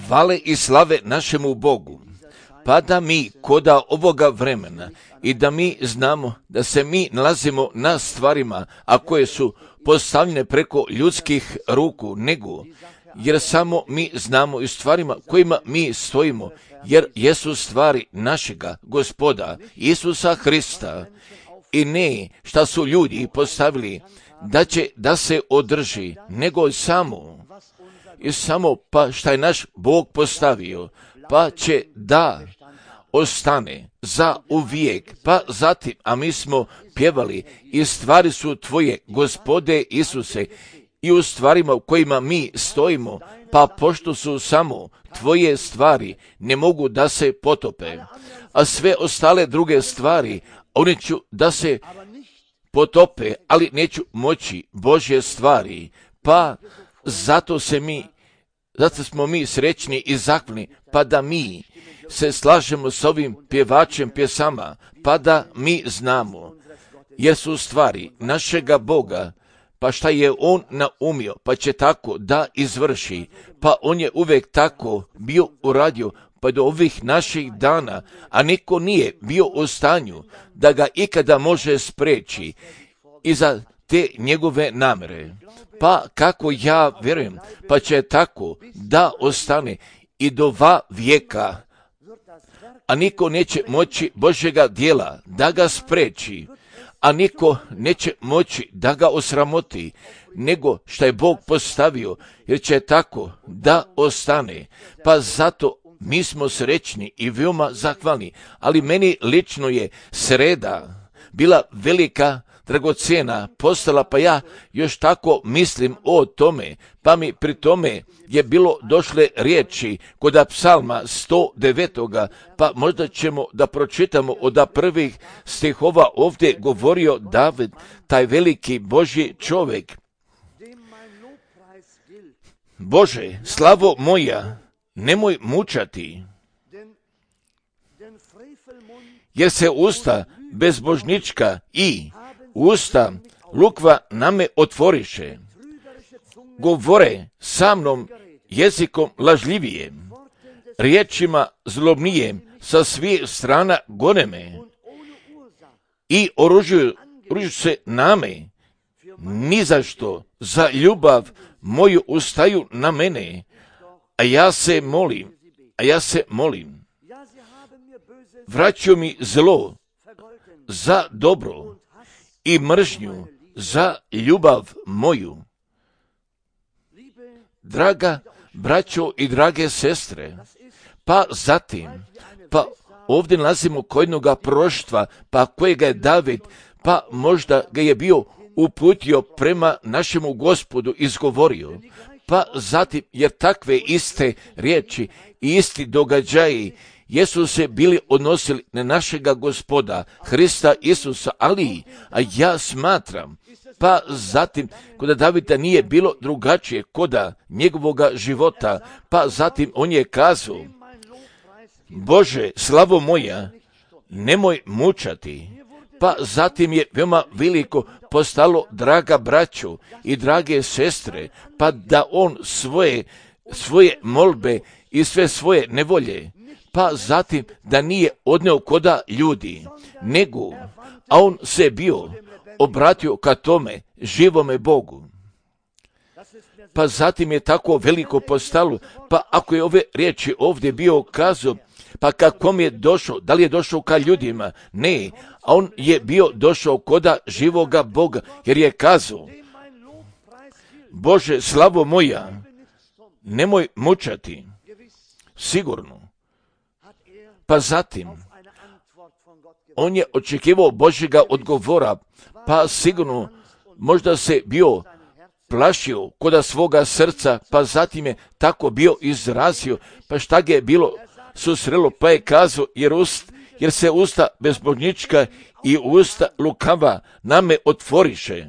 Hvale i slave našemu Bogu, pa da mi koda ovoga vremena i da mi znamo da se mi nalazimo na stvarima, a koje su postavljene preko ljudskih ruku, nego jer samo mi znamo i stvarima kojima mi stojimo, jer jesu stvari našega Gospoda Isusa Hrista i ne šta su ljudi postavili da će da se održi, nego samo pa šta je naš Bog postavio, pa će da ostane za uvijek. Pa zatim, a mi smo pjevali i stvari su tvoje, Gospode Isuse, i u stvarima u kojima mi stojimo, pa pošto su samo tvoje stvari, ne mogu da se potope, a sve ostale druge stvari, one ću da se potope, ali neću moći Božje stvari, pa zato smo mi srećni i zahvalni, pa da mi se slažemo s ovim pjevačem pjesama, pa da mi znamo, jer su stvari našega Boga, pa šta je on naumio, pa će tako da izvrši, pa on je uvijek tako bio uradio, pa do ovih naših dana, a niko nije bio u stanju da ga ikada može spreći i za te njegove namere. Pa kako ja vjerujem, pa će tako da ostane i do va vijeka, a niko neće moći Božjega djela da ga spreči, a niko neće moći da ga osramoti, nego što je Bog postavio, jer će tako da ostane. Pa zato mi smo srećni i veoma zahvalni, ali meni lično je sreda bila velika, dragocjena postala, pa ja još tako mislim o tome, pa mi pri tome je bilo došle riječi kod psalma 109. Pa možda ćemo da pročitamo od prvih stihova. Ovdje govorio David, taj veliki Božji čovjek. Bože, slavo moja, nemoj mučati, jer se usta bezbožnička i usta lukva name otvoriše. Govore sa mnom jezikom lažljivijem, riječima zlobnijem sa svih strana gone me i oružuju se name, ni za što za ljubav moju ustaju na mene, a ja se molim. Vraćaju mi zlo za dobro i mržnju za ljubav moju. Draga braćo i drage sestre, pa zatim, pa ovdje nalazimo kojnoga proštva, pa kojega je David, pa možda ga je bio uputio prema našemu Gospodu, izgovorio, pa zatim, jer takve iste riječi i isti događaji jesu se bili odnosili na našega Gospoda, Hrista Isusa, a ja smatram, pa zatim, kod Davida nije bilo drugačije koda njegovoga života, pa zatim on je kazao, Bože, slavo moja, nemoj mučati. Pa zatim je veoma veliko postalo, draga braćo i drage sestre, pa da on svoje molbe i sve svoje nevolje, pa zatim da nije odneo koda ljudi, nego, a on se bio obratio ka tome živome Bogu. Pa zatim je tako veliko postalo, pa ako je ove riječi ovdje bio kazao, pa kako je došao, da li je došao ka ljudima? Ne, a on je bio došao koda živoga Boga, jer je kazao, Bože, slavo moja, nemoj mučati, sigurno. Pa zatim, on je očekivao Božjega odgovora, pa sigurno možda se bio plašio koda svoga srca, pa zatim je tako bio izrazio, pa šta ga je bilo susrelo, pa je kazao, jer se usta bezbožnička i usta lukava name otvoriše.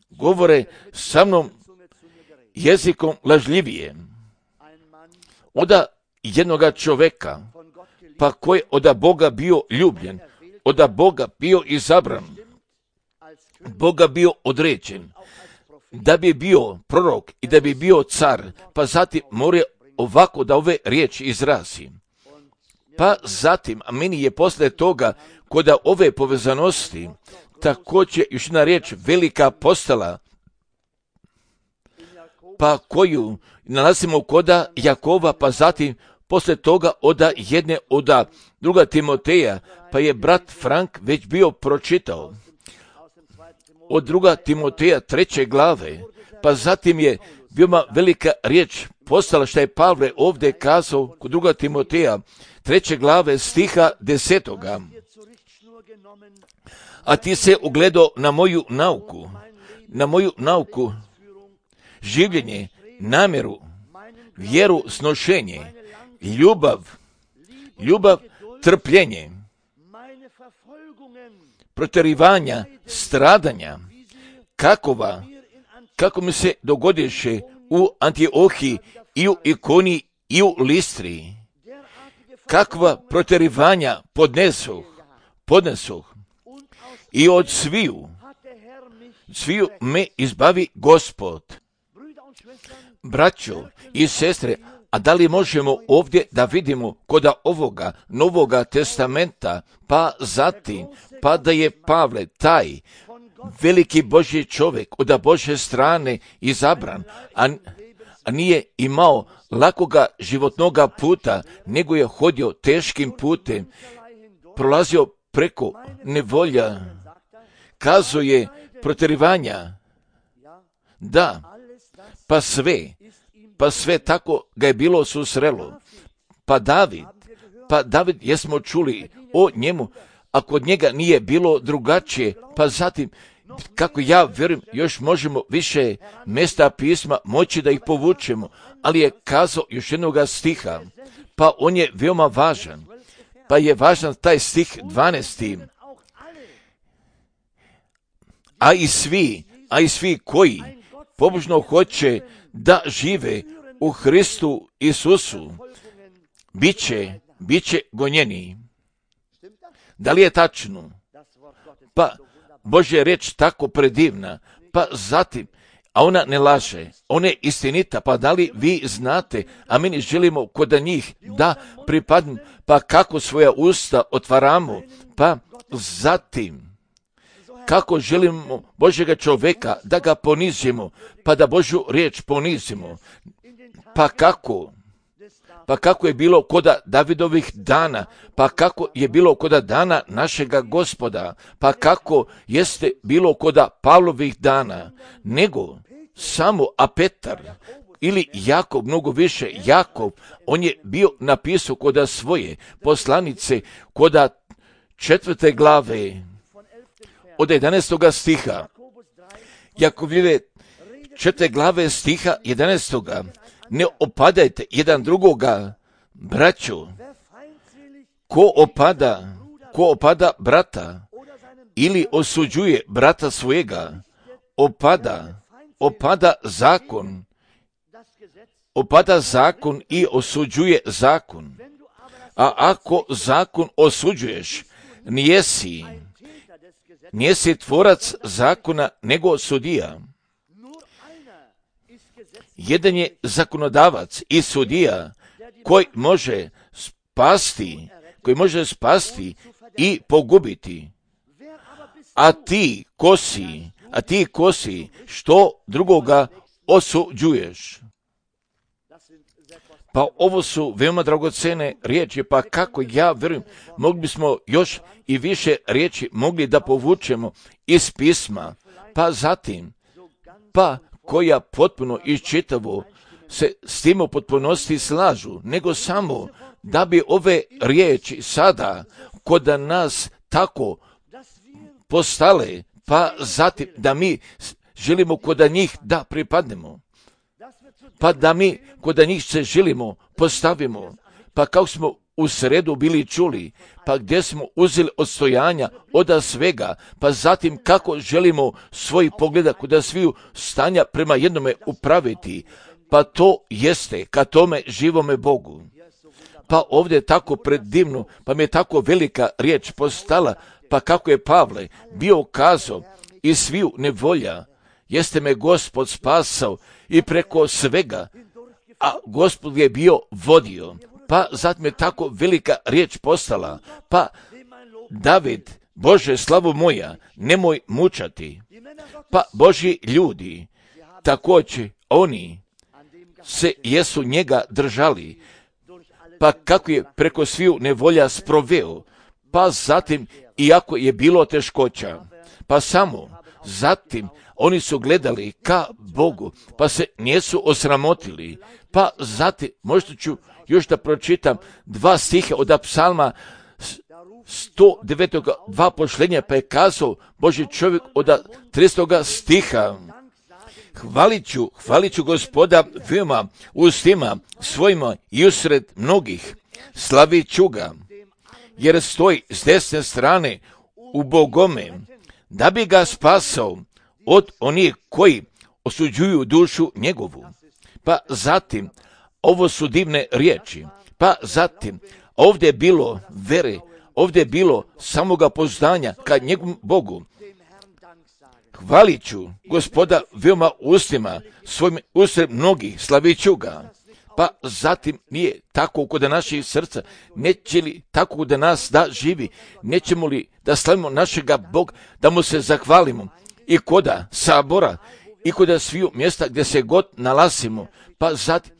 Govore sa mnom jezikom lažljivije. Oda jednoga čoveka, pa koji od Boga bio ljubljen, od Boga bio izabran, Boga bio određen, da bi bio prorok i da bi bio car, pa zatim mora ovako da ove riječi izrazi. Pa zatim, a meni je posle toga, kod ove povezanosti, također još jedna riječ velika postala, pa koju nalazimo koda Jakova, pa zatim posle toga oda druga Timoteja, pa je brat Frank već bio pročitao. Od druga Timoteja 3. glave, pa zatim je veoma velika riječ postala što je Pavle ovdje kazao kod druga Timoteja 3. glave stiha 10. A ti se ugledao na moju nauku, življenje, namjeru, vjeru, snošenje, ljubav, trpljenje, protjerivanja, stradanja, kako mi se dogodiše u Antiohiji i u Ikoni i u Listri, kakva protjerivanja podnesoh i od sviju me izbavi Gospod. Braćo i sestre, a da li možemo ovdje da vidimo kod ovoga Novoga testamenta, pa zatim, pa da je Pavle taj veliki Božji čovjek od Božje strane izabran, a nije imao lakoga životnoga puta, nego je hodio teškim putem, prolazio preko nevolja, kazuje protjerivanja, da, pa sve tako ga je bilo susrelo. Pa David, jesmo čuli o njemu, a kod njega nije bilo drugačije, pa zatim, kako ja vjerujem, još možemo više mjesta pisma moći da ih povučemo, ali je kazao još jednoga stiha, pa on je veoma važan, pa je važan taj stih 12. A i svi koji pobožno hoće da žive u Hristu Isusu, bit će gonjeni. Da li je tačno? Pa Božja riječ tako predivna, pa zatim, a ona ne laže, ona je istinita, pa da li vi znate, a mi želimo kod njih da pripadnu, pa kako svoja usta otvaramo, pa zatim, kako želimo Božjega čovjeka da ga ponizimo, pa da Božju riječ ponizimo, pa kako je bilo kod Davidovih dana, pa kako je bilo kod dana našega Gospoda, pa kako jeste bilo kod Pavlovih dana, nego samo a Petar ili Jakov, mnogo više Jakov, on je bio napisao kod svoje poslanice, kod 4. glave, od 11. stiha, Jakovljeve 4. glave stiha 11. Ne opadajte jedan drugoga, braćo, ko opada brata ili osuđuje brata svojega, opada zakon i osuđuje zakon. A ako zakon osuđuješ, nijesi tvorac zakona nego sudija. Jedan je zakonodavac i sudija koji može spasti i pogubiti. A ti kosi što drugoga osuđuješ. Pa ovo su veoma dragocene riječi, pa kako ja vjerujem, mogli bismo još i više riječi mogli da povučemo iz pisma, pa zatim, pa koja potpuno i čitavo se s tim u potpunosti slažu, nego samo da bi ove riječi sada kod nas tako postale, pa zatim da mi želimo kod njih da pripadnemo, pa da mi kod njih se želimo postavimo, pa kako smo u sredu bili čuli, pa gdje smo uzeli odstojanja od svega, pa zatim kako želimo svoj pogleda kod sviju stanja prema jednome upraviti, pa to jeste ka tome živome Bogu. Pa ovdje je tako predivno, pa mi je tako velika riječ postala, pa kako je Pavle bio kazao iz sviju nevolja, jeste me Gospod spasao i preko svega, a Gospod je bio vodio. Pa zatim je tako velika riječ postala, pa David, Bože, slavu moja, nemoj mučati. Pa Božji ljudi, također oni se jesu njega držali, pa kako je preko sviju nevolja sproveo, pa zatim, iako je bilo teškoća, pa samo zatim oni su gledali ka Bogu, pa se nisu osramotili, pa zatim, možda ću još da pročitam 2 stiha od psalma 109. 2 pošlenja, pa je kazao Božji čovjek od 30. stiha: Hvalit ću Gospoda veoma ustima svojima i usred mnogih, slavit ću ga, jer stoji s desne strane u bogome, da bi ga spasao od onih koji osuđuju dušu njegovu. Pa zatim, ovo su divne riječi, pa zatim, ovdje je bilo vere, ovdje je bilo samoga poznanja ka njegovom Bogu. Hvalit ću Gospoda veoma ustima svojim usred mnogih, slavit ću ga. Pa zatim nije tako kod naših srca, neće li tako kod nas da živi, nećemo li da slavimo našega Boga, da mu se zahvalimo i koda sabora i koda sviju mjesta gdje se god nalazimo, pa zatim,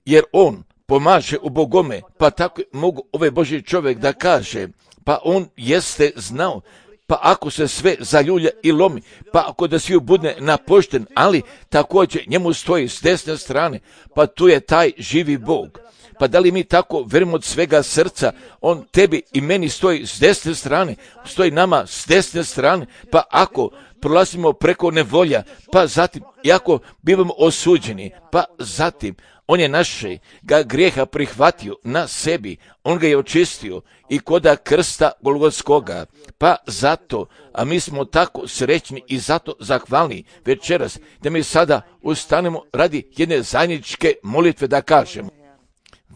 jer on pomaže u bogome, pa tako mogu ovaj Božji čovjek da kaže, pa on jeste znao, pa ako se sve zaljulja i lomi, pa ako da sviju bude napošten, ali također njemu stoji s desne strane, pa tu je taj živi Bog. Pa da li mi tako verimo od svega srca, on tebi i meni stoji s desne strane, stoji nama s desne strane, pa ako prolazimo preko nevolja, pa zatim, iako bivamo osuđeni, pa zatim, on je naše ga grijeha prihvatio na sebi, on ga je očistio i koda krsta Golgotskoga, pa zato, a mi smo tako srećni i zato zahvalni večeras, da mi sada ustanemo radi jedne zajedničke molitve da kažemo: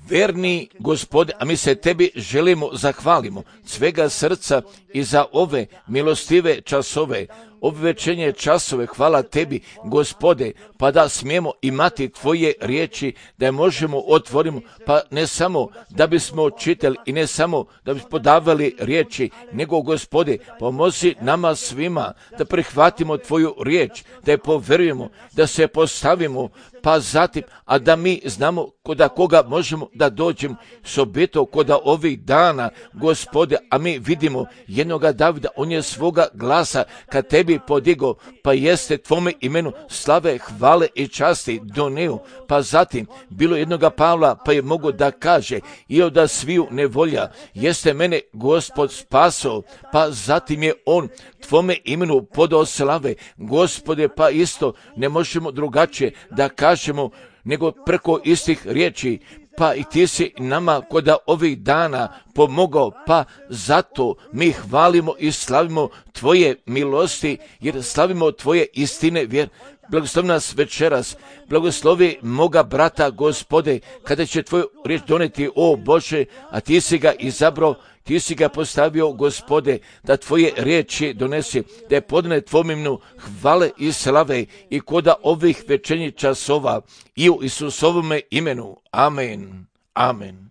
Verni Gospode, a mi se tebi želimo zahvalimo svega srca i za ove milostive časove, ove večernje časove. Hvala tebi, Gospode, pa da smijemo imati tvoje riječi, da je možemo otvorimo, pa ne samo da bismo čitali i ne samo da bismo podavali riječi, nego, Gospode, pomozi nama svima da prihvatimo tvoju riječ, da je poverujemo, da se postavimo, pa zatim, a da mi znamo koda koga možemo da dođemo s objetom koda ovih dana, Gospode, a mi vidimo jednoga Davida, on je svoga glasa kad tebi podigao, pa jeste tvome imenu slave, hvale i časti doneo, pa zatim bilo jednoga Pavla, pa je mogo da kaže i od sviju nevolja jeste mene Gospod spasao, pa zatim je on tvome imenu podao slave, Gospode, pa isto ne možemo drugačije da kažemo nego preko istih riječi, pa i ti si nama koda ovih dana pomogao, pa zato mi hvalimo i slavimo tvoje milosti, jer slavimo tvoje istine vjer. Blagoslovi nas večeras, blagoslovi moga brata, Gospode, kada će tvoju riječ doneti, o Bože, a ti si ga izabrao, ti si ga postavio, Gospode, da tvoje riječi donese, da je podane tvojom imenu hvale i slave i koda ovih večernjih časova i u Isusovome imenu. Amen, amen,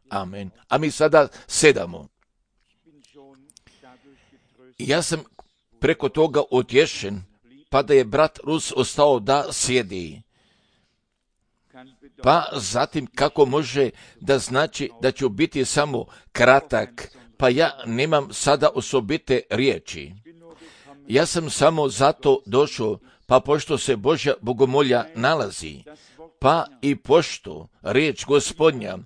amen. A mi sada sedamo. Ja sam preko toga utješen, pa da je brat Rus ostao da sjedi. Pa zatim kako može da znači da ću biti samo kratak, pa ja nemam sada osobite riječi. Ja sam samo zato došao, pa pošto se Božja bogomolja nalazi, pa i pošto riječ Gospodnja,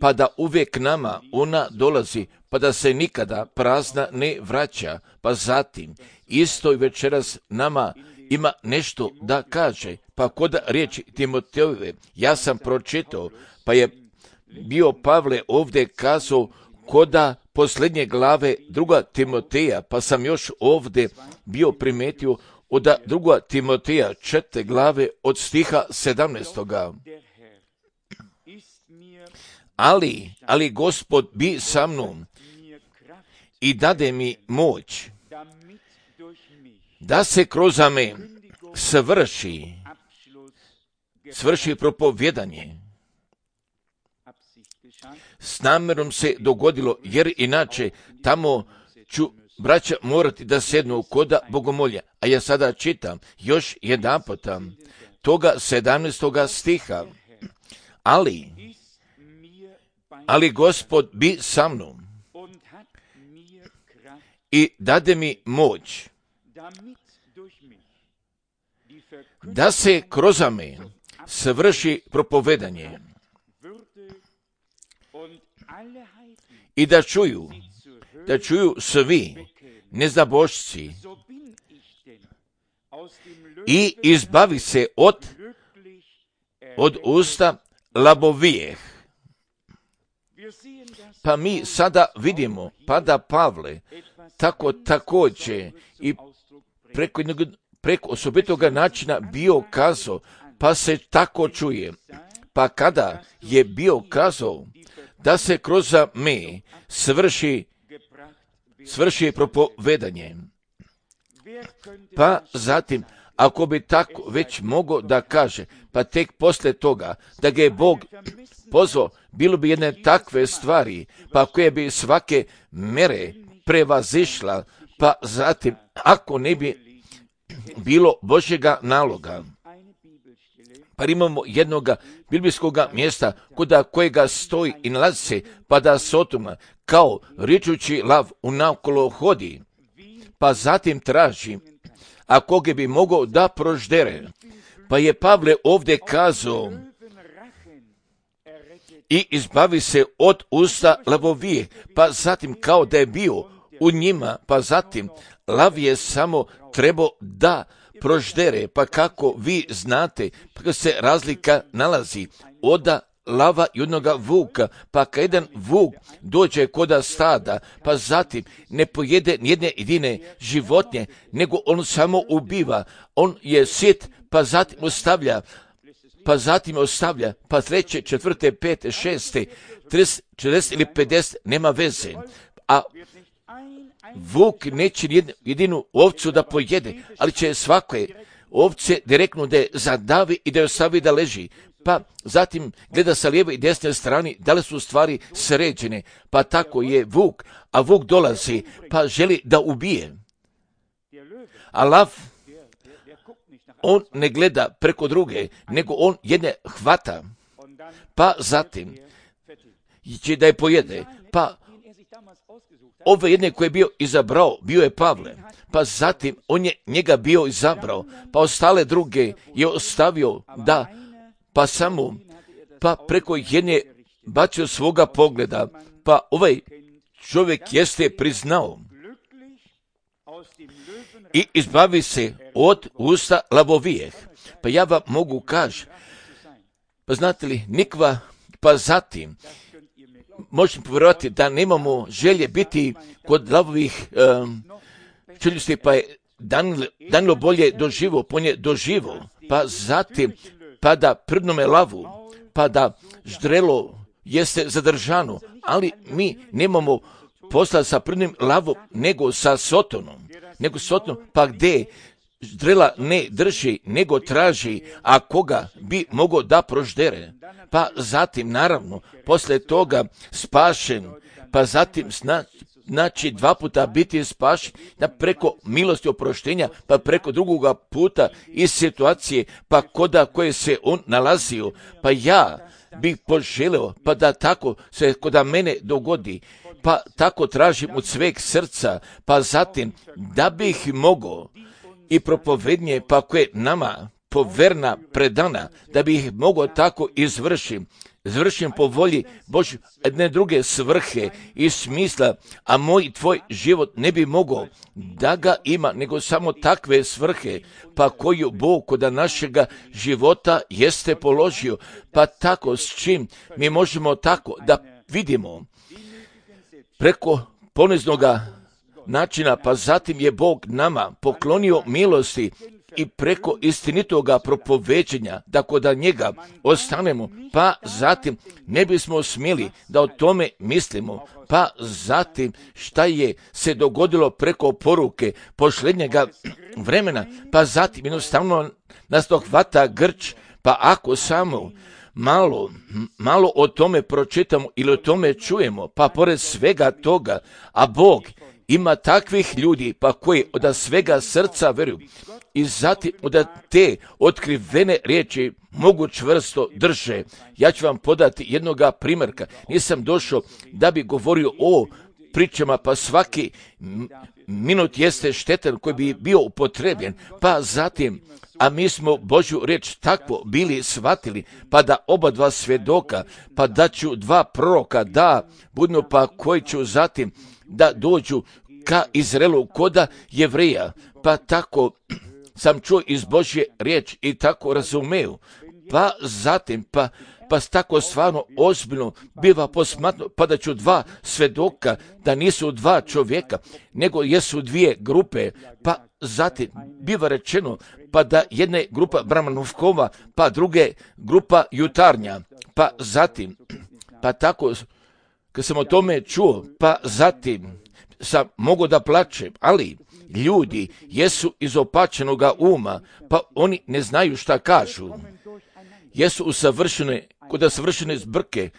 pa da uvijek nama ona dolazi, pa da se nikada prazna ne vraća, pa zatim isto i večeras nama ima nešto da kaže, pa kod riječi Timotejove ja sam pročitao, pa je bio Pavle ovdje kazao koda posljednje glave 2. Timoteja, pa sam još ovdje bio primetio od 2. Timoteja 4. glave od stiha 17. Ali Gospod bi sa mnom i dade mi moć, da se kroz me svrši propovjedanje. S namjerom se dogodilo, jer inače tamo ću braća morati da sednu koda bogomolja. A ja sada čitam još jedanputa toga 17. stiha. Ali Gospod bi sa mnom i dade mi moć da se kroz me svrši propovedanje i da čuju svi neznabošci i izbavi se od usta labovijeh. Pa mi sada vidimo, pa da Pavle također i preko osobitoga načina bio kazao, pa se tako čuje. Pa kada je bio kazao da se kroz me svrši propovedanje, pa zatim, ako bi tako već mogao da kaže, pa tek poslije toga da ga je Bog pozvao, bilo bi jedne takve stvari, pa koje bi svake mere prevazišla, pa zatim, ako ne bi bilo Božjega naloga. Pa imamo jednoga biblijskog mjesta kuda kojega stoji i nalazi se, pa da Sotoma kao ričući lav unakolo hodi, pa zatim traži, a koga bi mogao da proždere. Pa je Pavle ovdje kazao i izbavi se od usta lavovije, pa zatim kao da je bio u njima, pa zatim lav je samo trebao da proždere, pa kako vi znate, pa se razlika nalazi od lava i jednoga vuka, pa kad jedan vuk dođe koda stada, pa zatim ne pojede nijedne jedine životinje, nego on samo ubiva, on je sit, pa zatim ostavlja, pa treće, četvrte, pete, šeste, 30, 40 ili 50, nema veze. A vuk neće jedinu ovcu da pojede, ali će svake ovce direktno da je zadavi i da je ostavi da leži. Pa zatim gleda sa lijeve i desne strane da li su stvari sređene. Pa tako je vuk, a vuk dolazi pa želi da ubije. A lav, on ne gleda preko druge, nego on jedne hvata. Pa zatim će da je pojede. Pa ove jedne koje je bio izabrao, bio je Pavle. Pa zatim on je njega bio izabrao, pa ostale druge je ostavio da, pa preko jedne bacio svoga pogleda, pa ovaj čovjek jeste priznao i izbavi se od usta lavovijeh. Pa ja vam mogu kaži, pa znate li, nikva, pa zatim, možete povjerovati da nemamo želje biti kod lavovih čeljusti, pa je Danilo bolje doživo, pa zatim, pa da prdnome lavu, pa da ždrelo jeste zadržano, ali mi nemamo posla sa prdnim lavom, nego sa Sotonom, pa gdje ždrela ne drži, nego traži, a koga bi mogao da proždere. Pa zatim, naravno, poslije toga spašen, pa zatim znači 2 puta biti spašen, da preko milosti oproštenja, pa preko drugoga puta iz situacije, pa koda koje se on nalazio, pa ja bih poželeo, pa da tako se koda mene dogodi, pa tako tražim od sveg srca, pa zatim da bih mogao i propovednje, pa koje nama poverna predana, da bih ih mogao tako izvršim po volji Božje, jedne druge svrhe i smisla, a moj tvoj život ne bi mogao da ga ima, nego samo takve svrhe, pa koju Bog kod našega života jeste položio, pa tako s čim mi možemo tako da vidimo preko poniznoga načina, pa zatim je Bog nama poklonio milosti i preko istinitoga propoveđenja, da kod njega ostanemo, pa zatim ne bismo smjeli da o tome mislimo, pa zatim šta je se dogodilo preko poruke posljednjega vremena, pa zatim jednostavno nas dohvata grč, pa ako samo malo o tome pročitamo ili o tome čujemo, pa pored svega toga, a Bog ima takvih ljudi pa koji od svega srca vjeruju i zatim od te otkrivene riječi mogu čvrsto drže. Ja ću vam podati jednoga primjerka. Nisam došao da bi govorio o pričama, pa svaki minut jeste štetan koji bi bio upotrebljen, pa zatim, a mi smo Božju riječ takvo bili shvatili, pa da oba dva svjedoka, pa da ću dva proroka da budno, pa koji ću zatim da dođu ka Izraelu koda Jevreja, pa tako sam čuo iz Božje riječi i tako razumeo, pa zatim, pa tako stvarno ozbiljno biva posmatno, pa da ću dva svjedoka, da nisu dva čovjeka, nego jesu dvije grupe, pa zatim biva rečeno, pa da jedna grupa Brahmanovkova, pa druge grupa jutarnja, pa zatim, pa tako, kad sam o tome čuo, pa zatim sam mogao da plačem, ali ljudi jesu izopačenoga uma, pa oni ne znaju šta kažu. Jesu usavršene, kod savršene zbrke,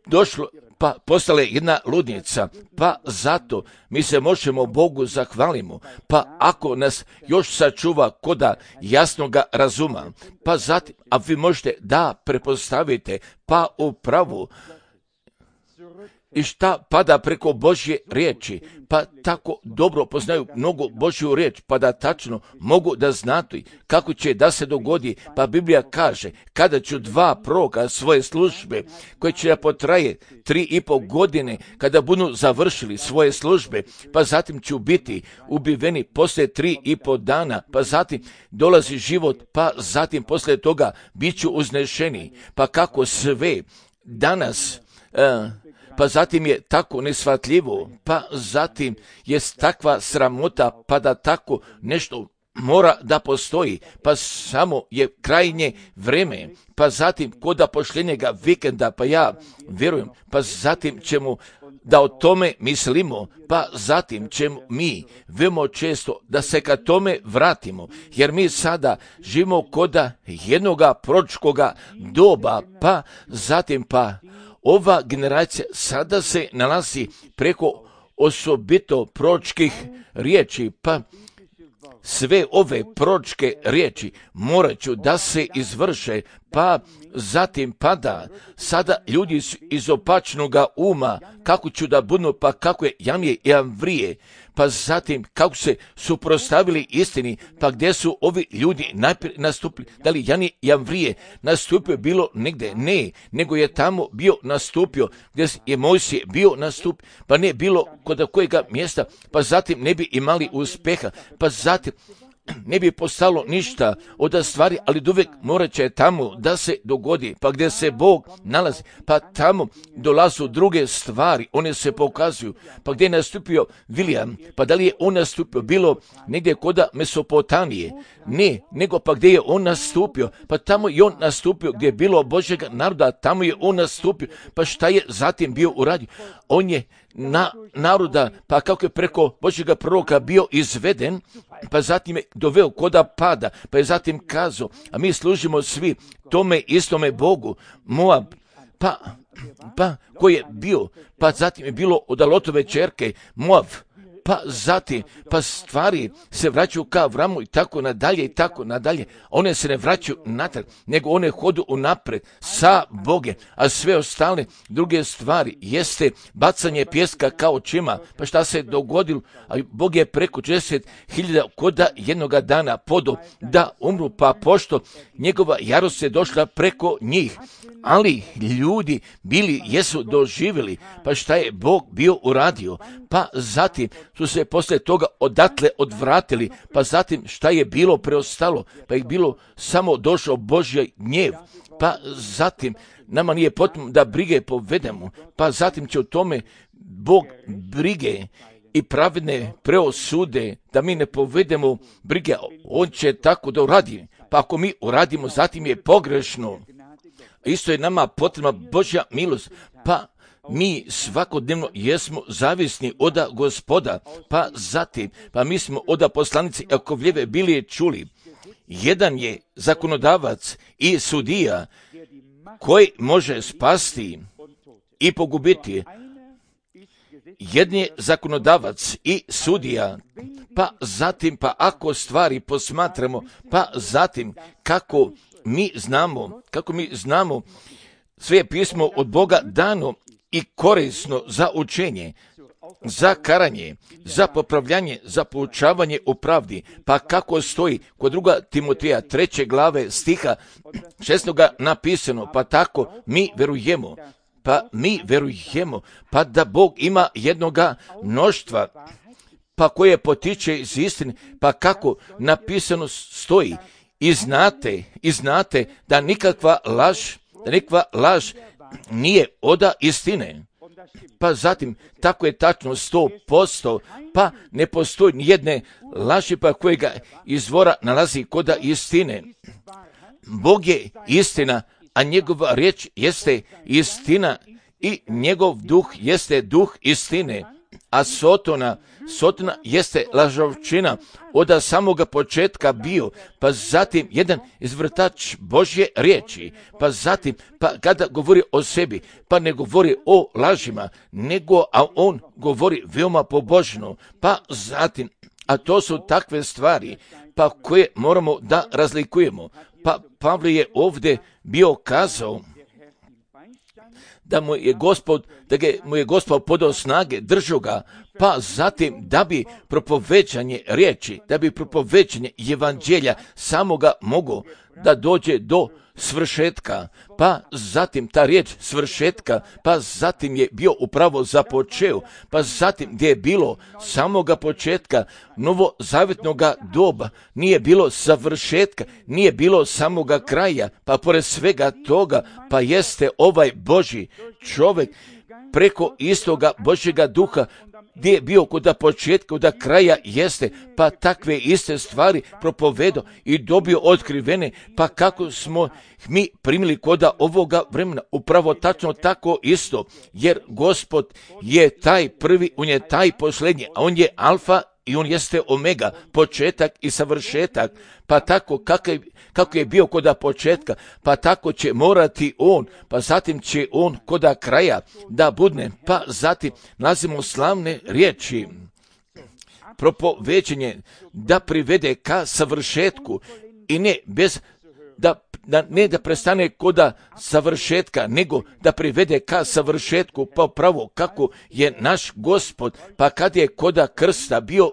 došlo, pa postale jedna ludnica, pa zato mi se možemo Bogu zahvalimo, pa ako nas još sačuva koda jasnoga razuma, pa zatim, a vi možete da prepostavite, pa upravo, i šta pada preko Božje riječi, pa tako dobro poznaju mnogo Božju riječ, pa da tačno mogu da znati kako će da se dogodi, pa Biblija kaže, kada ću dva proroka svoje službe, koje će da potraje 3,5 godine, kada budu završili svoje službe, pa zatim ću biti ubiveni poslije 3,5 dana, pa zatim dolazi život, pa zatim poslije toga bit ću uznešeni, pa kako sve danas, pa zatim je tako nesvatljivo, pa zatim je takva sramota, pa da tako nešto mora da postoji, pa samo je krajnje vreme, pa zatim koda posljednjega vikenda, pa ja vjerujem, pa zatim ćemo da o tome mislimo, pa zatim ćemo mi veoma često da se ka tome vratimo, jer mi sada živimo koda jednoga proročkoga doba, pa zatim ova generacija sada se nalazi preko osobito proročkih riječi, pa sve ove proročke riječi morat ću da se izvrše, pa zatim pada sada ljudi iz opačnoga uma, kako ću da budu, pa kako je Janije i Amvrije, pa zatim kako se suprotstavili istini, pa gdje su ovi ljudi najprije nastupili, da li Janije i Amvrije nastupio bilo negdje, ne, nego je tamo bio nastupio, gdje je Mojsije bio nastupio, pa ne bilo kod kojega mjesta, pa zatim ne bi imali uspjeha, pa zatim ne bi postalo ništa od stvari, ali uvijek morat će tamo da se dogodi, pa gdje se Bog nalazi, pa tamo dolazu druge stvari, one se pokazuju, pa gdje je nastupio William, pa da li je on nastupio bilo negdje koda Mesopotamije, ne, nego pa gdje je on nastupio, pa tamo je on nastupio, gdje je bilo Božjega naroda, tamo je on nastupio, pa šta je zatim bio uradio? On je naroda, pa kako je preko Božjega proroka bio izveden, pa zatim je doveo koda pada, pa je zatim kazao, a mi služimo svi tome istome Bogu, Moab, pa koji je bio, pa zatim je bilo od Lotove ćerke, Moab, pa zatim, pa stvari se vraćaju ka Avramu i tako nadalje, one se ne vraćaju natrag, nego one hodu unapred sa Bogem, a sve ostale druge stvari jeste bacanje pjeska kao očima, pa šta se dogodilo, a Bog je preko 40.000 koda jednoga dana podo da umru, pa pošto njegova jarost je došla preko njih, ali ljudi jesu doživjeli, pa šta je Bog bio uradio, pa zatim su se poslije toga odatle odvratili, pa zatim šta je bilo preostalo, pa je bilo samo došao Božji gnjev, pa zatim nama nije potrebno da brige povedemo, pa zatim će o tome Bog brige i pravedne preosude, da mi ne povedemo brige, on će tako da uradi. Pa ako mi uradimo, zatim je pogrešno. Isto je nama potrebna Božja milost, pa mi svakodnevno jesmo zavisni od Gospoda, pa zatim, pa mi smo od poslanici Jakovljeve bili čuli. Jedan je zakonodavac i sudija koji može spasti i pogubiti. Jedan je zakonodavac i sudija, pa zatim, pa ako stvari posmatramo, pa zatim kako mi znamo, sve je pismo od Boga dano i korisno za učenje, za karanje, za popravljanje, za poučavanje u pravdi, pa kako stoji kod 2. Timoteja 3. glave stiha 6. napisano, pa tako mi verujemo, pa da Bog ima jednoga mnoštva, pa koje potiče iz istine, pa kako napisano stoji, i znate da nikakva laž nije od istine. Pa zatim, tako je tačno 100%, pa ne postoji nijedne laži pa kojega izvora nalazi kod istine. Bog je istina, a njegova riječ jeste istina i njegov duh jeste duh istine. A Sotona jeste lažovčina od samoga početka bio, pa zatim jedan izvrtač Božje riječi, pa zatim, pa kada govori o sebi, pa ne govori o lažima, a on govori veoma pobožno, pa zatim, a to su takve stvari, pa koje moramo da razlikujemo. Pa Pavle je ovdje bio kazao da mu je Gospod podao snage, držao ga, pa zatim da bi propovećanje riječi, da bi propovećanje evanđelja samoga moglo da dođe do svršetka, pa zatim ta riječ svršetka, pa zatim je bio upravo započeo, pa zatim gdje je bilo samoga početka novozavjetnoga doba, nije bilo završetka, nije bilo samoga kraja, pa pored svega toga, pa jeste ovaj Božji čovjek preko istoga Božjega duha, gdje je bio kod početka, kod kraja jeste, pa takve iste stvari propovedo i dobio otkrivene, pa kako smo mi primili kod ovoga vremena, upravo tačno tako isto, jer Gospod je taj prvi, on je taj posljednji, a on je alfa i on jeste omega, početak i savršetak, pa tako kako je bio kod početka, pa tako će morati on, pa zatim će on kod kraja da budne, pa zatim nalazimo slavne riječi, propovećenje da privede ka savršetku i ne bez ne da prestane kod savršetka, nego da privede ka savršetku, pa pravo kako je naš Gospod, pa kad je kod krsta bio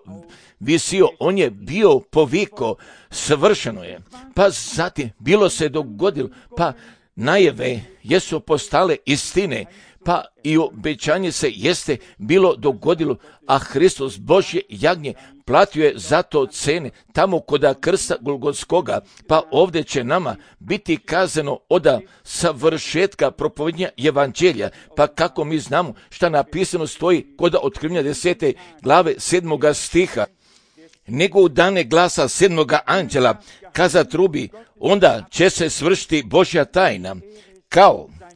visio, on je bio poviko, svršeno je, pa zatim bilo se dogodilo, pa najave jesu postale istine, pa i obećanje se jeste bilo dogodilo, a Hristos Božje jagnje platio je za to cene tamo kod krsta Golgotskoga, pa ovdje će nama biti kazano od savršetka propovednja evanđelja, pa kako mi znamo šta napisano stoji kod Otkrivenja 10. glave 7. stiha. Nego u dane glasa 7. anđela kaza trubi, onda će se svršiti Božja tajna,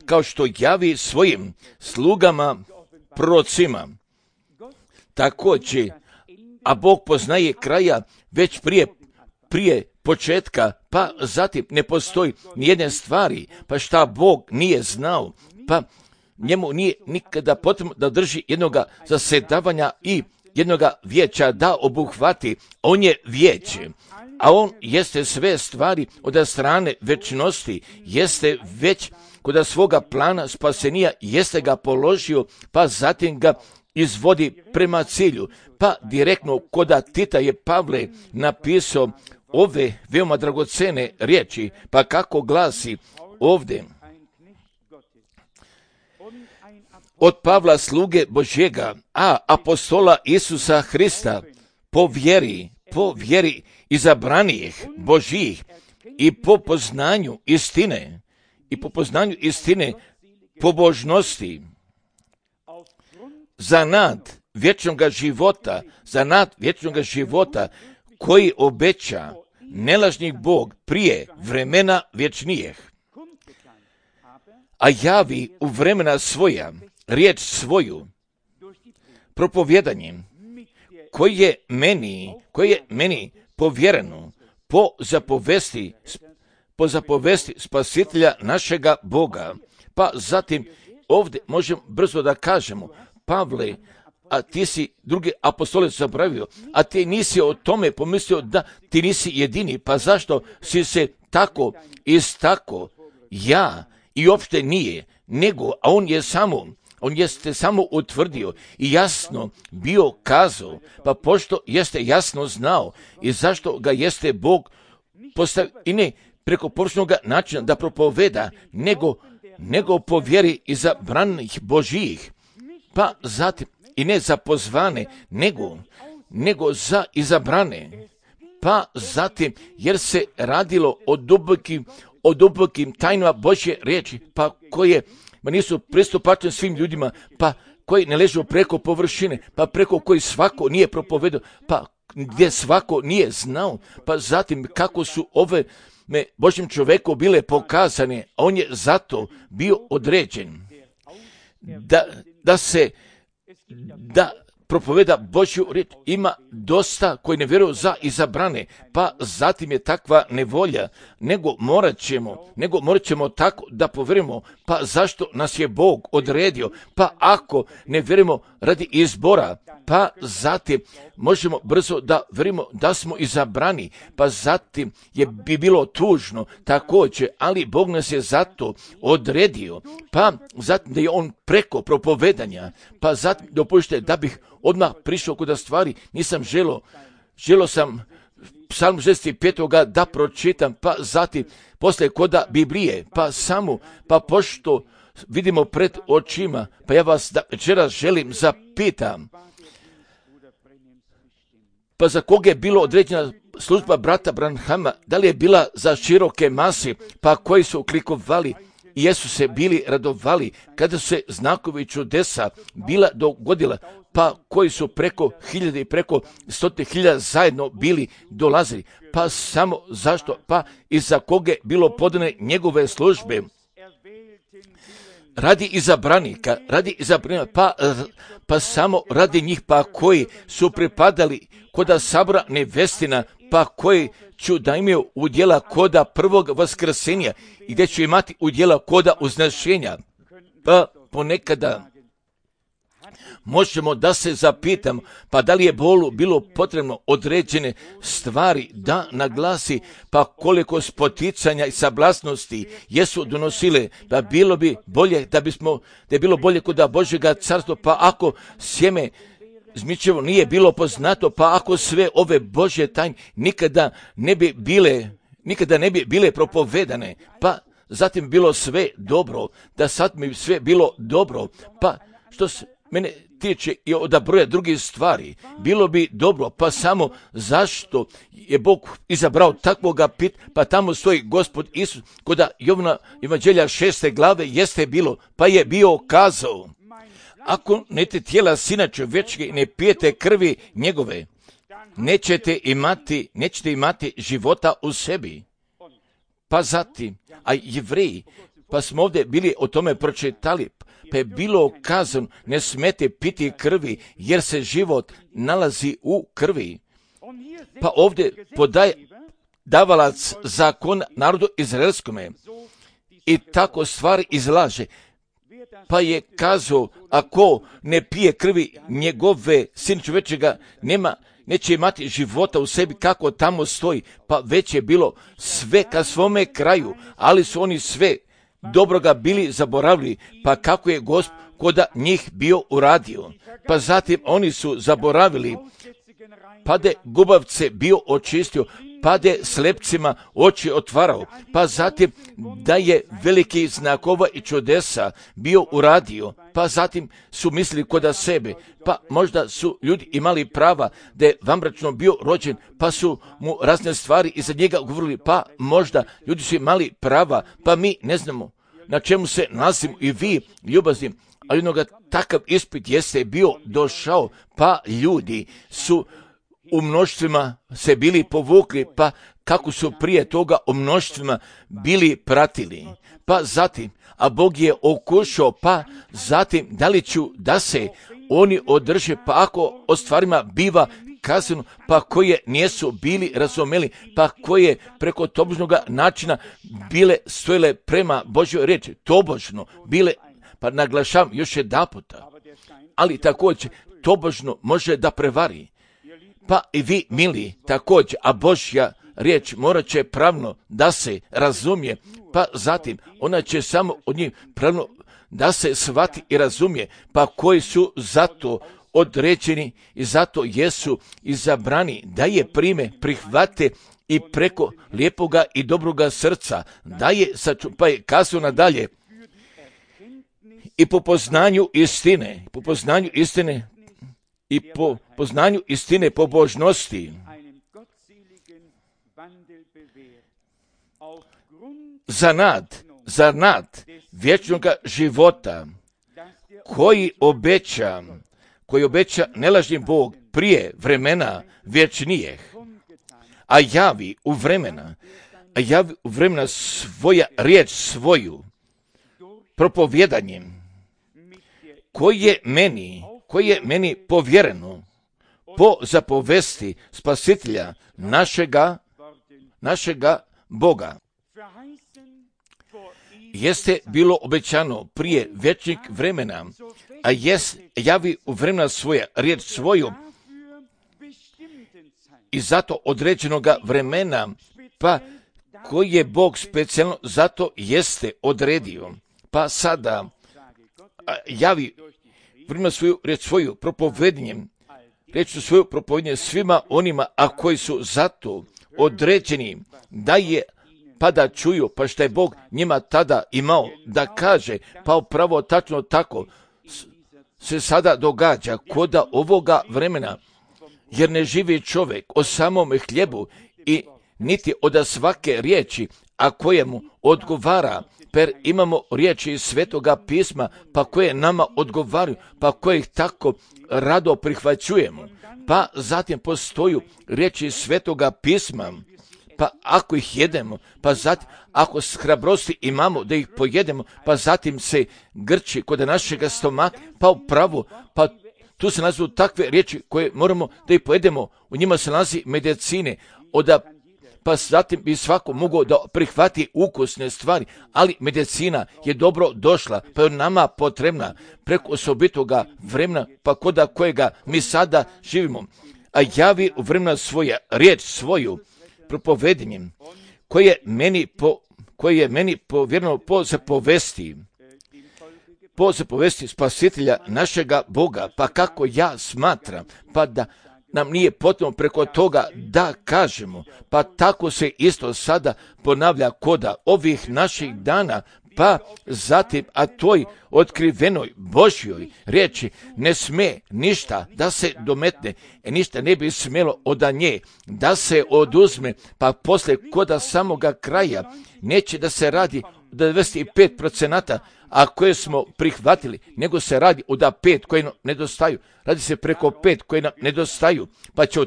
kao što javi svojim slugama prorocima. Također, a Bog poznaje kraja već prije početka, pa zatim ne postoji nijedne stvari, pa šta Bog nije znao, pa njemu nije nikada potrebno da drži jednoga zasedavanja i jednoga vijeća da obuhvati. On je vijeće, a on jeste sve stvari od strane večnosti, jeste već kod svoga plana spasenija, jeste ga položio, pa zatim ga izvodi prema cilju. Pa direktno kod Tita je Pavle napisao ove veoma dragocene riječi, pa kako glasi ovdje. Od Pavla sluge Božjega, a apostola Isusa Hrista, po vjeri izabranijih Božjih i po poznanju istine, pobožnosti, za nad vječnog života, za nad vječnog života koji obeća nelažni Bog prije vremena vječnijih, a javi u vremena svoja riječ svoju propovjedanjem koji je meni povjereno po zapovesti spasitelja našega Boga. Pa zatim ovdje možemo brzo da kažemo, Pavle, a ti si drugi apostole zaboravio, a ti nisi o tome pomislio da ti nisi jedini, pa zašto si se tako istako? Ja i uopšte nije, nego, a on jeste samo utvrdio i jasno bio kazao, pa pošto jeste jasno znao i zašto ga jeste Bog postavio i ne preko površnog načina da propoveda, nego po vjeri izabranih Božijih, pa zatim i ne za pozvane, nego za izabrane, pa zatim jer se radilo o dubokim tajnama Božje riječi, pa koje nisu pristupačne svim ljudima, pa koji ne ležu preko površine, pa preko koji svako nije propovedao, pa gdje svako nije znao, pa zatim kako su ove Božjem čoveku bile pokazane, a on je zato bio određen da propoveda Božju riječ. Ima dosta koji ne vjeruju za izabrane, pa zatim je takva nevolja, nego morat ćemo tako da povjerujemo, pa zašto nas je Bog odredio, pa ako ne vjerujemo radi izbora, pa zatim možemo brzo da vjerujemo da smo izabrani, pa zatim bi bilo tužno također, ali Bog nas je zato odredio, pa zatim da je on preko propovedanja, pa zatim dopustite da bih odmah prišao kod stvari, nisam želio sam Psalm 65. da pročitam, pa zatim poslije koda Biblije, pa pošto vidimo pred očima, pa ja vas večeras želim zapitam, pa za koga je bilo određena služba brata Branhama, da li je bila za široke mase, pa koji su klikovali i jesu se bili radovali kada su se znakovi čudesa bila dogodila, pa koji su preko 1000 i preko 100.000 zajedno bili dolazili, pa samo zašto, pa i za koga je bilo podane njegove službe, radi izabranika, pa samo radi njih, pa koji su pripadali koda sabora nevestina, pa koji ću da imaju udjela koda prvog vaskrsenja i gdje ću imati udjela koda uznešenja. Pa ponekada možemo da se zapitam, pa da li je Bolu bilo potrebno određene stvari da naglasi, pa koliko spoticanja i sablasnosti jesu donosile, da bilo bi bolje da je bilo bolje kod Božjega carstva, pa ako sjeme zmičevo nije bilo poznato, pa ako sve ove Božje tajne nikada ne bi bile propovedane, pa zatim bilo sve dobro, da sad mi sve bilo dobro, pa što se mene tiče i od broja drugih stvari, bilo bi dobro, pa samo zašto je Bog izabrao takvoga pa tamo stoji Gospod Isus, kod Jovana Evanđelja 6. glave jeste bilo, pa je bio kazao, ako nete tijela Sina čovječke i ne pijete krvi njegove, nećete imati života u sebi. Pa zatim, a Jevreji, pa smo ovdje bili o tome pročitali, pa je bilo kazano, ne smete piti krvi, jer se život nalazi u krvi. Pa ovdje podaje davalac zakon narodu izraelskome i tako stvari izlaže. Pa je kazao, ako ne pije krvi njegove, Sin čovječega neće imati života u sebi, kako tamo stoji, pa već je bilo sve ka svome kraju, ali su oni sve dobroga bili zaboravili, pa kako je Gospod koda njih bio uradio. Pa zatim oni su zaboravili, pa de gubavce bio očistio, pa de slepcima oči otvarao, pa zatim da je veliki znakova i čudesa bio uradio, pa zatim su mislili koda sebe, pa možda su ljudi imali prava da je vanbračno bio rođen, pa su mu razne stvari iza njega govorili, pa možda ljudi su imali prava, pa mi ne znamo na čemu se nalazimo i vi ljubazni, ali jednoga takav ispit jeste bio došao, pa ljudi su u mnoštvima se bili povukli, pa kako su prije toga u mnoštvima bili pratili. Pa zatim, a Bog je okušao, pa zatim da li ću da se oni održe, pa ako o stvarima biva kazano, pa koje nisu bili razumeli, pa koje preko tobožnoga načina bile stojile prema Božjoj riječi, tobožno bile, pa naglašavam još jedanputa, ali također tobožno može da prevari. Pa i vi, mili, također, a Božja riječ morat će pravno da se razumije, pa zatim ona će samo od njih pravno da se shvati i razumije, pa koji su zato određeni i zato jesu izabrani da je prime, prihvate i preko lijepoga i dobroga srca, da je, pa je kazao nadalje, i po poznanju istine i po poznanju istine pobožnosti, za nad vječnog života koji obeća nelažni Bog prije vremena vječnijeh, a javi u vremena svoja riječ svoju propovjedanjem, koje je meni povjereno po zapovesti Spasitelja našega Boga. Jeste bilo obećano prije vječnih vremena, a javi u vremena svoja riječ svoju i zato određenoga vremena, pa koji je Bog specijalno zato jeste odredio, pa sada javi vremena svoju riječ svoju propovednjem, svima onima, a koji su zato određeni da je, pa da čuju, pa što je Bog njima tada imao da kaže, pa upravo tačno tako se sada događa koda ovoga vremena, jer ne živi čovjek o samom hljebu i niti od svake riječi, a kojemu odgovara, per imamo riječi iz Svetoga pisma, pa koje nama odgovaraju, pa koje ih tako rado prihvaćujemo. Pa zatim postoju riječi iz Svetoga pisma, pa ako ih jedemo, pa zatim ako s hrabrosti imamo da ih pojedemo, pa zatim se grči kod našega stomaka, pa upravo, pa tu se nalazu takve riječi koje moramo da ih pojedemo, u njima se nalazi medicine, pa zatim bi svako mogao da prihvati ukusne stvari, ali medicina je dobro došla, pa je nama potrebna preko osobitoga vremena, pa koda kojega mi sada živimo, a javi u vremena svoja riječ svoju propovedanjem, koje je meni povjereno po zapovesti Spasitelja našega Boga, pa kako ja smatram, pa da nam nije potrebno preko toga da kažemo, pa tako se isto sada ponavlja koda ovih naših dana, pa zatim, a toj otkrivenoj Božjoj riječi ne sme ništa da se dometne, ništa ne bi smjelo od nje da se oduzme, pa poslije koda samoga kraja neće da se radi 95%, a koje smo prihvatili, nego se radi od 5 koje nam nedostaju. Radi se preko 5 koje nam nedostaju, pa će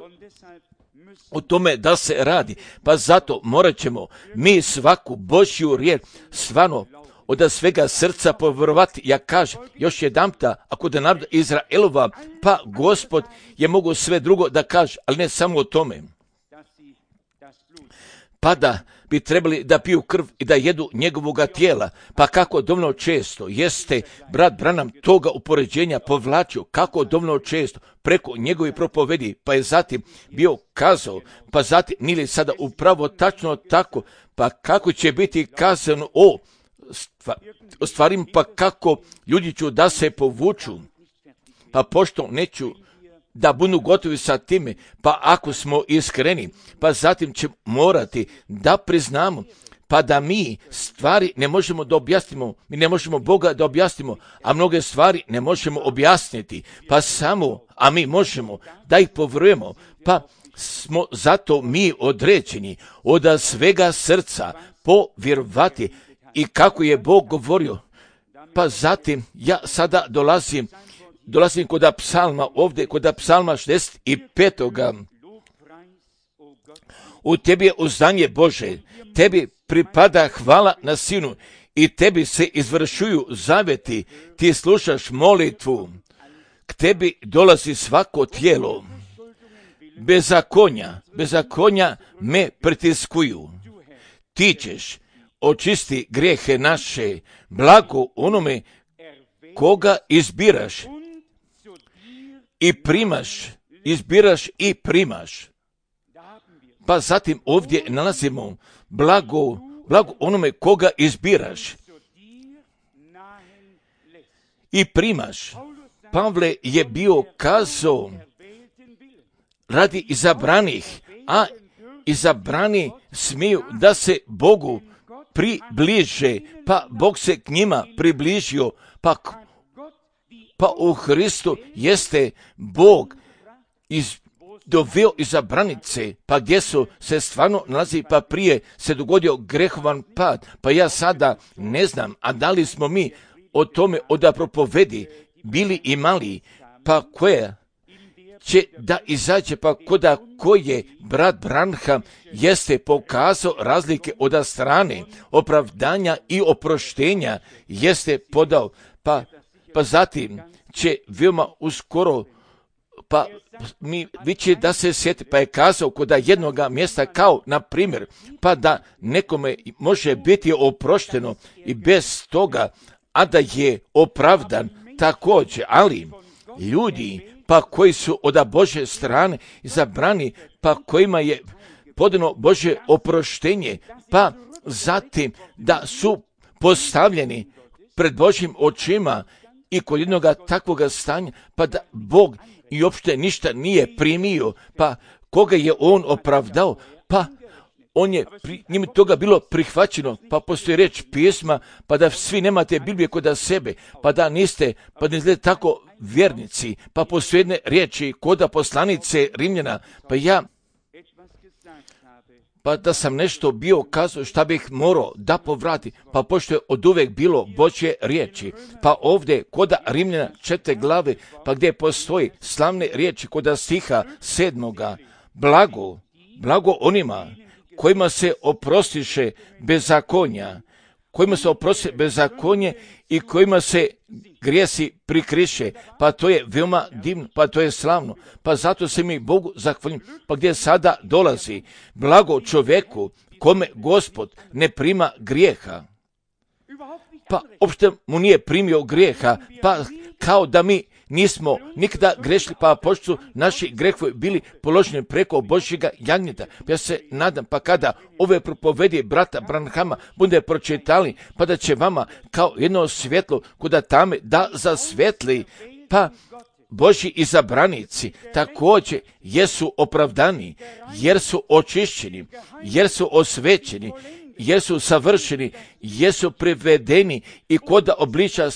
o tome da se radi. Pa zato morat ćemo mi svaku Božju riječ stvarno od svega srca povjerovati. Ja kažem još jedanputa, ako da naroda Izraelova, pa Gospod je mogu sve drugo da kaže, ali ne samo o tome. Pa da bi trebali da piju krv i da jedu njegovoga tijela, pa kako dovoljno često jeste brat Branham toga upoređenja povlačio, kako dovoljno često preko njegovi propovedi, pa je zatim bio kazao, pa zatim nili sada upravo tačno tako, pa kako će biti kazano o stvarima, pa kako ljudi ću da se povuču, pa pošto neću da budu gotovi sa time, pa ako smo iskreni, pa zatim će morati da priznamo, pa da mi stvari ne možemo da objasnimo, mi ne možemo Boga da objasnimo, a mnoge stvari ne možemo objasniti, pa samo, a mi možemo da ih povjerujemo, pa smo zato mi određeni od svega srca povjerovati i kako je Bog govorio, Pa zatim ja sada dolazim kod psalma, ovdje kod psalma 65. U tebi je uzdanje Bože, tebi pripada hvala na Sinu i tebi se izvršuju zaveti, ti slušaš molitvu, k tebi dolazi svako tijelo. Bezakonja me pritiskuju. Ti ćeš očisti grijehe naše, blago onome koga izbiraš i primaš. Pa zatim ovdje nalazimo blago onome koga izbiraš i primaš. Pavle je bio kazao radi izabranih, a izabrani smiju da se Bogu približe, pa Bog se k njima približio, pa u Hristu jeste Bog doveo izabranice, pa gdje su se stvarno nalazi, pa prije se dogodio grehovan pad, pa ja sada ne znam, a da li smo mi o tome od propovedi bili imali, pa koje će da izađe, pa koje brat Branham jeste pokazao razlike od strane opravdanja i oproštenja jeste podao, pa zatim će veoma uskoro, pa mi viće da se sjeti, pa je kazao kod jednoga mjesta kao, na primjer, pa da nekome može biti oprošteno i bez toga, a da je opravdan također, ali ljudi pa koji su od Božje strane izabrani, pa kojima je podano Božje oproštenje, pa zatim da su postavljeni pred Božjim očima i kod jednoga takvoga stanja, pa da Bog i uopšte ništa nije primio, pa koga je on opravdao, pa on je njim toga bilo prihvaćeno, pa postoji reč pjesma, pa da svi nemate Biblije kod sebe, pa da niste tako vjernici, pa postoji jedne riječi kod poslanice Rimljana, pa da sam nešto bio kazao šta bih morao da povrati, pa pošto je od uvek bilo Božje riječi, pa ovdje kod Rimljana 4. glave, pa gdje postoji slavne riječi kod stiha 7. blago onima kojima se oprostiše bezakonja, i kojima se grijesi prikriše, pa to je veoma divno, pa to je slavno, pa zato se mi Bogu zahvaljujem, pa gdje sada dolazi blago čovjeku kome Gospod ne prima grijeha, pa uopšte mu nije primio grijeha, pa kao da mi nismo nikada grešili, pa pošto su naši grehovi bili položeni preko Božjega jagnjeta. Ja se nadam, pa kada ove propovedi brata Branhama bude pročitali, pa da će vama kao jedno svjetlo kuda tame da zasvetli, pa Božji izabranici također jesu opravdani, jer su očišćeni, jer su osvećeni, jer su savršeni, jer su privedeni i kod obliča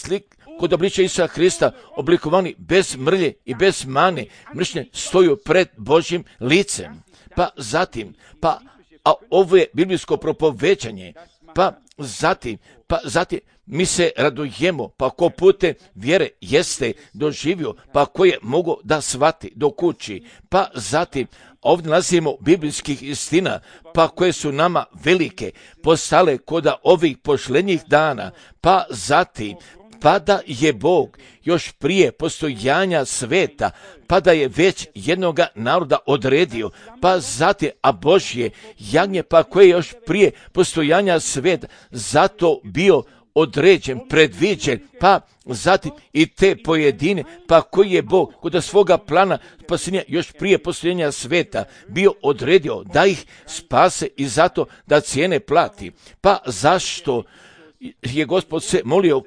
Isusa Hrista oblikovani bez mrlje i bez mane, mršnje stoju pred Božjim licem. Pa zatim, a ovo je biblijsko propoveđanje, pa zatim mi se radujemo, pa ko putem vjere jeste doživio, pa ko je mogo da shvati do kući, pa zatim ovdje nalazimo biblijskih istina, pa koje su nama velike, postale kod ovih pošlenjih dana, pa zatim, pa da je Bog još prije postojanja sveta, pa da je već jednoga naroda odredio, pa zatim, a Božje jagnje, pa koje je još prije postojanja sveta, zato bio određen, predviđen, pa zatim i te pojedine, pa koji je Bog kod svoga plana spasenja još prije postojanja sveta bio odredio da ih spase i zato da cijene plati. Pa zašto je Gospod se molio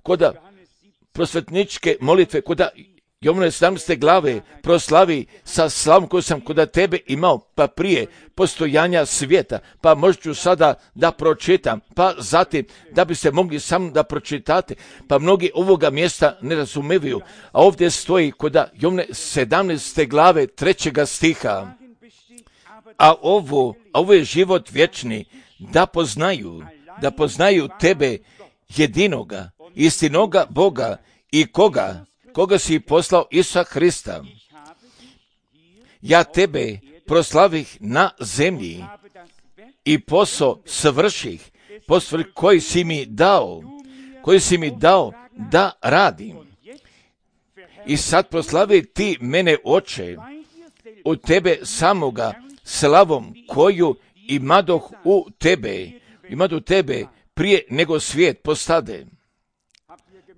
koda prosvetničke molitve, koda Jovane 17. glave proslavi sa slavom koju sam kod tebe imao, pa prije postojanja svijeta, pa možda ću sada da pročitam, pa zatim da bi se mogli samo da pročitate, pa mnogi ovoga mjesta ne razumevaju, a ovdje stoji kod Jovane 17. glave 3. stiha, a ovo je život vječni, da poznaju tebe, jedinoga, istinoga Boga i koga si poslao Isusa Hrista. Ja tebe proslavih na zemlji i posao svrših, posao koji si mi dao da radim. I sad proslavi ti mene, Oče, u tebe samoga slavom koju imadoh u tebe prije nego svijet postade.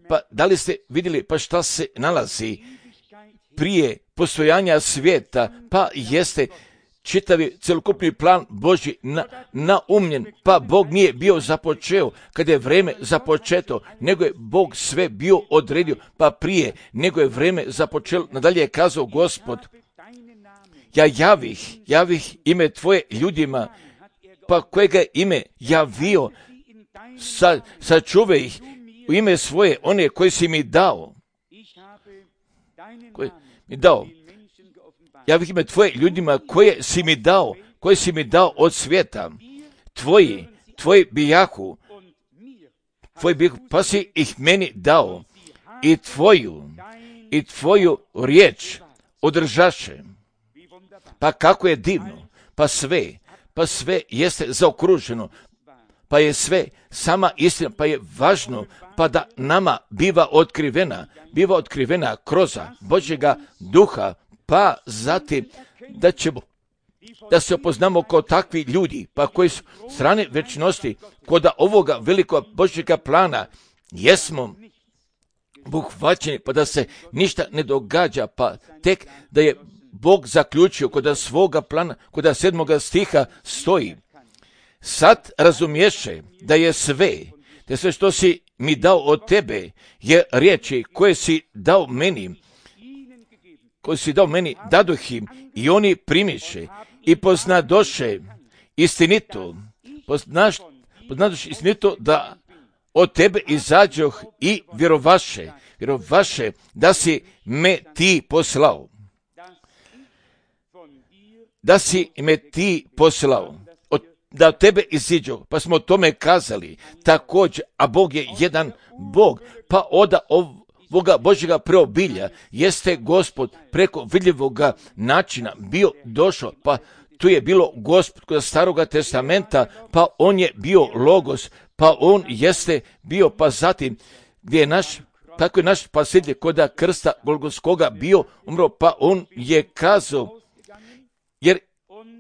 Pa da li ste vidjeli pa šta se nalazi prije postojanja svijeta? Pa jeste čitavi celokupni plan Božji naumljen, pa Bog nije bio započeo kada je vreme započeto, nego je Bog sve bio odredio, pa prije nego je vreme započelo. Nadalje je kazao Gospod, ja javih ime tvoje ljudima, pa kojega ime javio, sačuvaj ih u ime svoje, one koje si mi dao. Javih ime tvoje ljudima koje si mi dao od svijeta. Tvoji bijahu, pa si ih meni dao i tvoju riječ održaše. Pa kako je divno, pa sve jeste zaokruženo, pa je sve sama istina, pa je važno, pa da nama biva otkrivena kroz Božjega duha, pa zatim da se opoznamo kao takvi ljudi, pa koji su strane večnosti, kod ovoga velikog Božjega plana, jesmo obuhvaćeni, pa da se ništa ne događa, pa tek da je Bog zaključio kod svoga plana, kod 7. stiha stoji. Sad razumješe da je sve što si mi dao od tebe, je riječi koje si dao meni, dadoh im i oni primiše i poznadoše istinito, da od tebe izađoh i vjerovaše da si me ti poslao. Da od tebe iziđu, pa smo o tome kazali također, a Bog je jedan Bog, pa od ovoga Božjega preobilja jeste Gospod preko vidljivoga načina bio došao, pa tu je bilo Gospod kod Staroga testamenta, pa on je bio Logos, pa on jeste bio, pa zatim gdje je tako je naš spasitelj kod krsta Golgotskoga bio umro, pa on je kazao, jer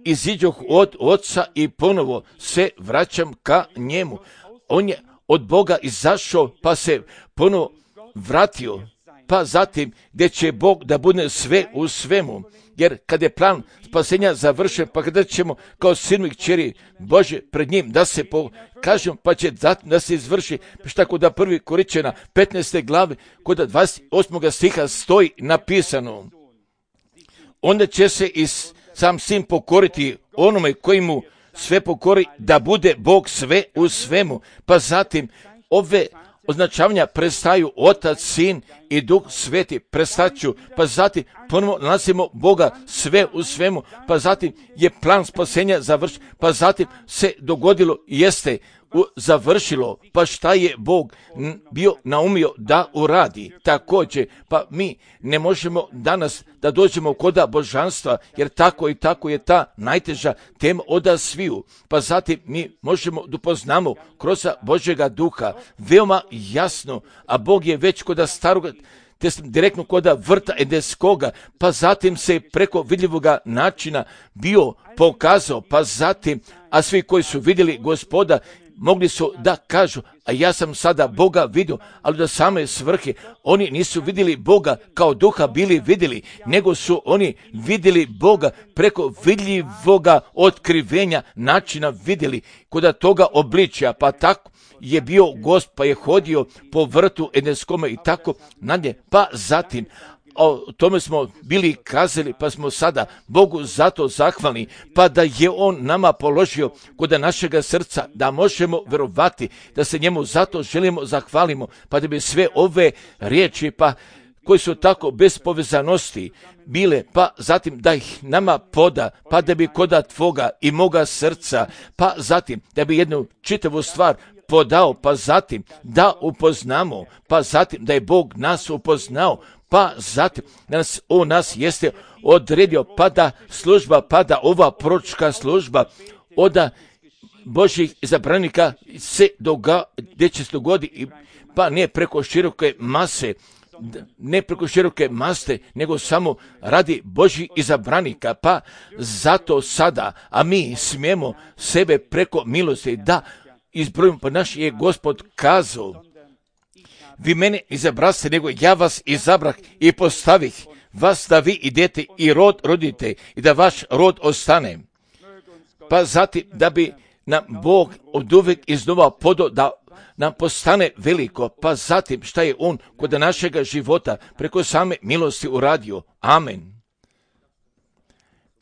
iziđoh od Oca i ponovo se vraćam ka njemu. On je od Boga izašao, pa se ponovo vratio, pa zatim gdje će Bog da bude sve u svemu, jer kad je plan spasenja završen, pa kada ćemo kao sinu i kćeri Bože pred njim da se pokažemo, pa će da se izvrši, šta kod 1. Korinćana 15. glave, kod 28. stiha stoji napisano, onda će se sam sin pokoriti onome koji mu sve pokori, da bude Bog sve u svemu. Pa zatim ove označavanja prestaju Otac, Sin i Duh Sveti prestaću, pa zatim ponovno nalazimo Boga sve u svemu, pa zatim je plan spasenja završen, pa zatim se dogodilo, jeste završilo, pa šta je Bog bio naumio da uradi. Također, pa mi ne možemo danas da dođemo kod božanstva, jer tako i tako je ta najteža tema od sviju. Pa zatim mi možemo da upoznamo kroz Božjega duha veoma jasno, a Bog je već kod starog direktno kod vrta Edenskoga, pa zatim se preko vidljivoga načina bio pokazao, pa zatim, a svi koji su vidjeli Gospoda, mogli su da kažu, a ja sam sada Boga vidio, ali do same svrhe oni nisu vidjeli Boga kao duha bili vidjeli, nego su oni vidjeli Boga preko vidljivoga otkrivenja načina vidjeli, kod toga obličja, pa tako je bio Gost, pa je hodio po vrtu Edenskome i tako nadalje, pa zatim o tome smo bili kazali, pa smo sada Bogu zato zahvalni, pa da je On nama položio kod našega srca, da možemo vjerovati, da se njemu zato želimo zahvalimo, pa da bi sve ove riječi, pa koji su tako bez povezanosti bile, pa zatim da ih nama poda, pa da bi koda tvoga i moga srca, pa zatim da bi jednu čitavu stvar podao, pa zatim da upoznamo, pa zatim da je Bog nas upoznao, pa zatim on nas jeste odredio, pa da služba, pa da ova proročka služba od Božjih izabranika se gdje će se dogoditi, pa ne preko široke mase, ne preko široke mase, nego samo radi Božjih izabranika, pa zato sada, a mi smijemo sebe preko milosti da izbrojimo, pa naš je Gospod kazao, vi mene izabraste, nego ja vas izabrah i postavih vas da vi idete i rod rodite i da vaš rod ostane. Pa zatim da bi nam Bog od uvijek iznova podao da nam postane veliko, pa zatim šta je On kod našega života preko same milosti uradio. Amen.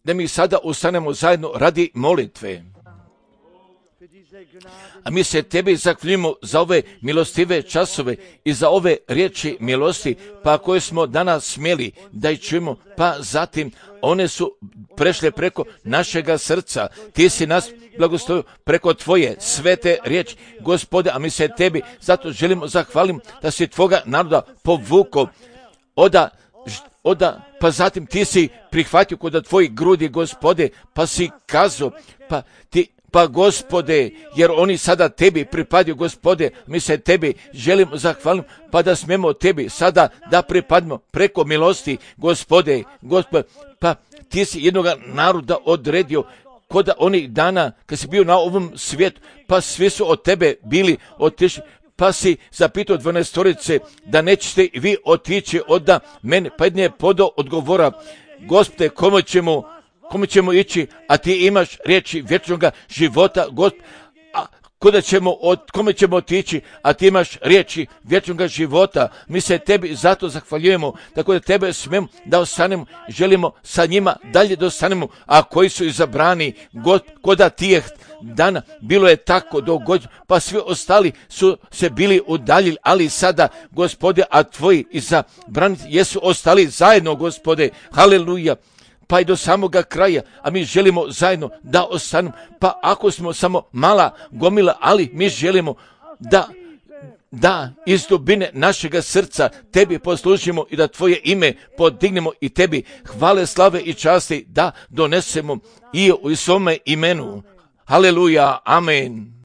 Da mi sada ustanemo zajedno radi molitve. A mi se tebi zahvaljujemo za ove milostive časove i za ove riječi milosti, pa koje smo danas smjeli da ih čujemo, pa zatim one su prešle preko našega srca. Ti si nas blagoslovio preko tvoje svete riječi, Gospode, a mi se tebi zato želimo zahvaliti da si tvoga naroda povukao pa zatim ti si prihvatio kod tvojih grudi, Gospode, pa si kazao, pa Gospode, jer oni sada tebi pripadaju, Gospode, mi se tebi želimo zahvaliti, pa da smijemo tebi sada da pripadimo preko milosti, Gospode, pa ti si jednog naroda odredio kod onih dana kad si bio na ovom svijetu, pa svi su od tebe bili otišli, pa si zapitao 12 da nećete vi otići od mene, pa jedne je podao odgovora, Gospode, kome ćemo ići, a ti imaš riječi vječnog života, kome ćemo otići, a ti imaš riječi vječnog života. Mi se tebi zato zahvaljujemo, tako da tebe smemo da ostanemo, želimo sa njima dalje da ostanemo, a koji su izabrani, koda tijeh dana, bilo je tako dogođeno, pa svi ostali su se bili udaljili, ali sada, Gospode, a tvoji izabrani jesu ostali zajedno, Gospode, haleluja, pa i do samoga kraja, a mi želimo zajedno da ostanemo, pa ako smo samo mala gomila, ali mi želimo da iz dubine našega srca tebi poslužimo i da tvoje ime podignemo i tebi hvale, slave i časti da donesemo i u svome imenu. Haleluja, amen.